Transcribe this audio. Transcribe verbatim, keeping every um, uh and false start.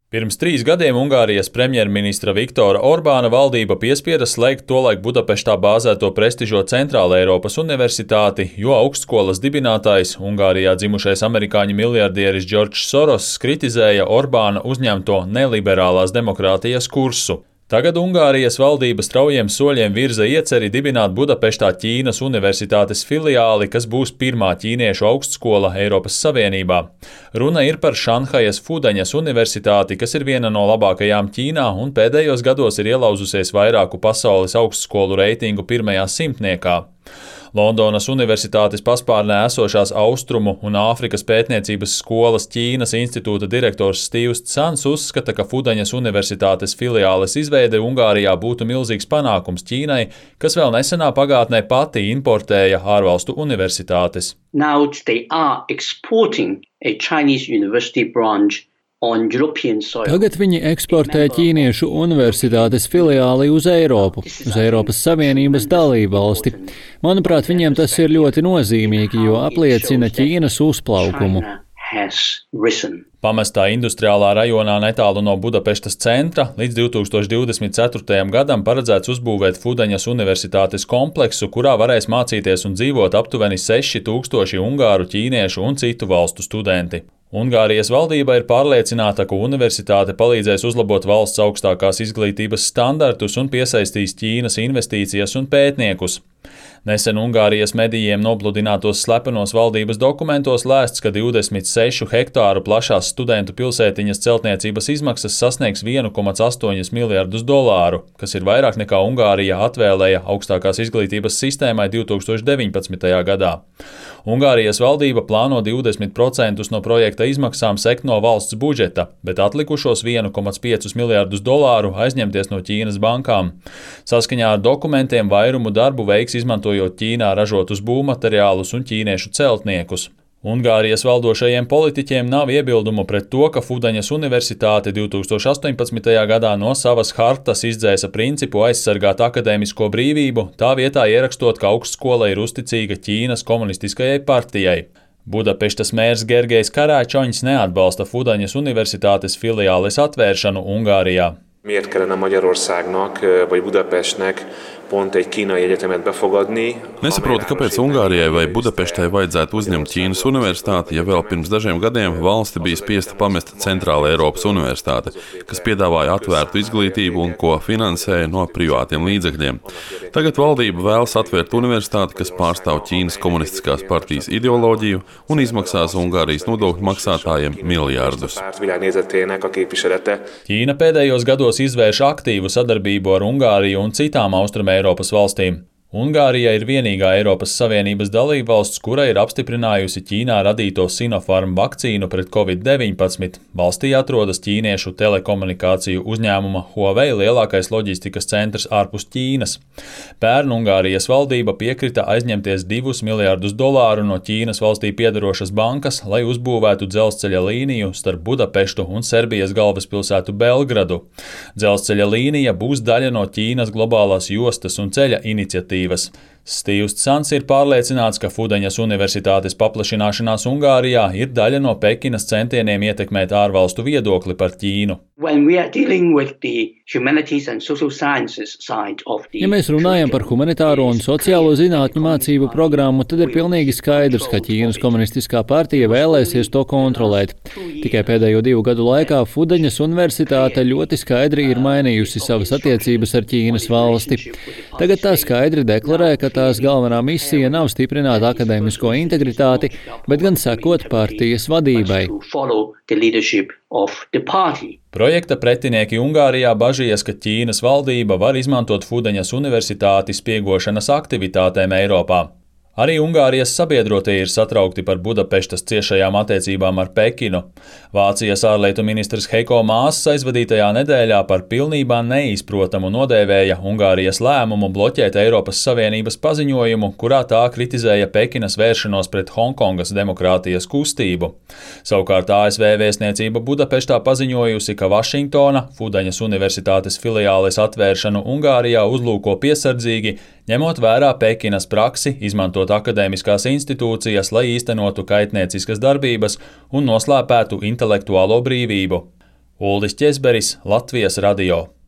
Pirms trīs gadiem Ungārijas premjerministra Viktora Orbāna valdība piespieda slēgt tolaik Budapeštā bāzēto prestižo Centrāla Eiropas universitāti, jo augstskolas dibinātājs, Ungārijā dzimušais amerikāņu miljardieris Džordžs Soross kritizēja Orbāna uzņemto neliberālās demokrātijas kursu. Tagad Ungārijas valdība straujiem soļiem virza ieceri dibināt Budapeštā Ķīnas universitātes filiāli, kas būs pirmā ķīniešu augstskola Eiropas Savienībā. Runa ir par Šanhajas Fudaņas universitāti, kas ir viena no labākajām Ķīnā un pēdējos gados ir ielauzusies vairāku pasaules augstskolu reitingu pirmajā simtniekā. Londonas Universitātes paspārnē esošās Austrumu un Āfrikas pētniecības skolas Ķīnas institūta direktors Stīvs Cans uzskata, ka Fudaņas universitātes filiāles izveide Ungārijā būtu milzīgs panākums Ķīnai, kas vēl nesenā pagātnē pati importēja ārvalstu universitātes. Now they are exporting a Chinese university branch. Tagad viņi eksportē ķīniešu universitātes filiāli uz Eiropu, uz Eiropas Savienības dalību valsti. Manuprāt, viņiem tas ir ļoti nozīmīgi, jo apliecina Ķīnas uzplaukumu. Pamestā industriālā rajonā netālu no Budapeštas centra līdz divi tūkstoši divdesmit ceturtajam gadam paredzēts uzbūvēt Fudaņas universitātes kompleksu, kurā varēs mācīties un dzīvot aptuveni seši tūkstoši ungāru, ķīniešu un citu valstu studenti. Ungārijas valdība ir pārliecināta, ka universitāte palīdzēs uzlabot valsts augstākās izglītības standartus un piesaistīs Ķīnas investīcijas un pētniekus. Nesen Ungārijas medijiem nopludinātos slepenos valdības dokumentos lēsts, ka divdesmit sešu hektāru plašās studentu pilsētiņas celtniecības izmaksas sasniegs vienu komā astoņi miljardus dolāru, kas ir vairāk nekā Ungārija atvēlēja augstākās izglītības sistēmai divi tūkstoši deviņpadsmitajā gadā. Ungārijas valdība plāno divdesmit procentus no projekta izmaksām sekt no valsts budžeta, bet atlikušos vienu komā piecus miljardus dolāru aizņemties no Ķīnas bankām. Saskaņā ar dokumentiem vairumu darbu veiks izmantojot Ķīnā ražotus būvmateriālus un ķīniešu celtniekus. Ungārijas valdošajiem politiķiem nav iebildumu pret to, ka Fudaņas universitāte divi tūkstoši astoņpadsmitajā gadā no savas hartas izdzēsa principu aizsargāt akadēmisko brīvību, tā vietā ierakstot, ka augstskola ir uzticīga Ķīnas komunistiskajai partijai. Budapeštas mērs Gergejs Karácsonyis neatbalsta Fudaņas universitātes filiāles atvēršanu Ungārijā. Miért kellene Magyarországnak vagy Budapestnek pont egy kínai egyetemet befogadni? Nesaprotu, kāpēc Ungārijai vai Budapeštai vajadzētu uzņemt Ķīnas universitāti, ja vēl pirms dažiem gadiem valsti bija spiesta pamest Centrāla Eiropas universitāte, kas piedāvāja atvērtu izglītību un ko finansēja no privātiem līdzekļiem. Tagad valdība vēlas atvērt universitāti, kas pārstāv Ķīnas komunistiskās partijas ideoloģiju un izmaksās Ungārijas nodokļu maksātājiem miljārdus. Ķīna pēdējos gados izvērš aktīvu sadarbību ar Ungāriju un citām Austrumē Eiropas valstīm. Ungārija ir vienīgā Eiropas Savienības dalībvalsts, kura ir apstiprinājusi Ķīnā radīto Sinopharm vakcīnu pret covid deviņpadsmit. Valstī atrodas ķīniešu telekomunikāciju uzņēmuma Huawei lielākais loģistikas centrs ārpus Ķīnas. Pērn Ungārijas valdība piekrita aizņemties divus miljardus dolāru no Ķīnas valstī piedarošas bankas, lai uzbūvētu dzelzceļa līniju starp Budapeštu un Serbijas galvaspilsētu Belgradu. Dzelzceļa līnija būs daļa no Ķīnas globālās jostas un ceļa iniciatīvas. Stīvs Cans ir pārliecināts, ka Fudaņas universitātes paplašināšanās Ungārijā ir daļa no Pekinas centieniem ietekmēt ārvalstu viedokli par Ķīnu. Ja mēs runājam par humanitāro un sociālo zinātņu mācību programmu, tad ir pilnīgi skaidrs, ka Ķīnas komunistiskā partija vēlēsies to kontrolēt. Tikai pēdējo divu gadu laikā Fudaņas universitāte ļoti skaidri ir mainījusi savas attiecības ar Ķīnas valsti. Tagad tā skaidri deklarē, ka tās galvenā misija nav stiprināt akadēmisko integritāti, bet gan sekot partijas vadībai. Projekta pretinieki Ungārijā bažījas, ka Ķīnas valdība var izmantot Fudaņas universitāti spiegošanas aktivitātēm Eiropā. Arī Ungārijas sabiedrotie ir satraukti par Budapeštas ciešajām attiecībām ar Pekinu. Vācijas ārlietu ministrs Heiko Maas aizvadītajā nedēļā par pilnībā neizprotamu nodēvēja Ungārijas lēmumu bloķēt Eiropas Savienības paziņojumu, kurā tā kritizēja Pekinas vēršanos pret Hongkongas demokrātijas kustību. Savukārt A S V vēstniecība Budapeštā paziņojusi, ka Vašingtona Fudaņas universitātes filiāles atvēršanu Ungārijā uzlūko piesardzīgi, ņemot vērā Pekinas praksi izmantot akadēmiskās institūcijas, lai īstenotu kaitnieciskas darbības un noslēpētu intelektuālo brīvību. Uldis Ķezberis, Latvijas radio.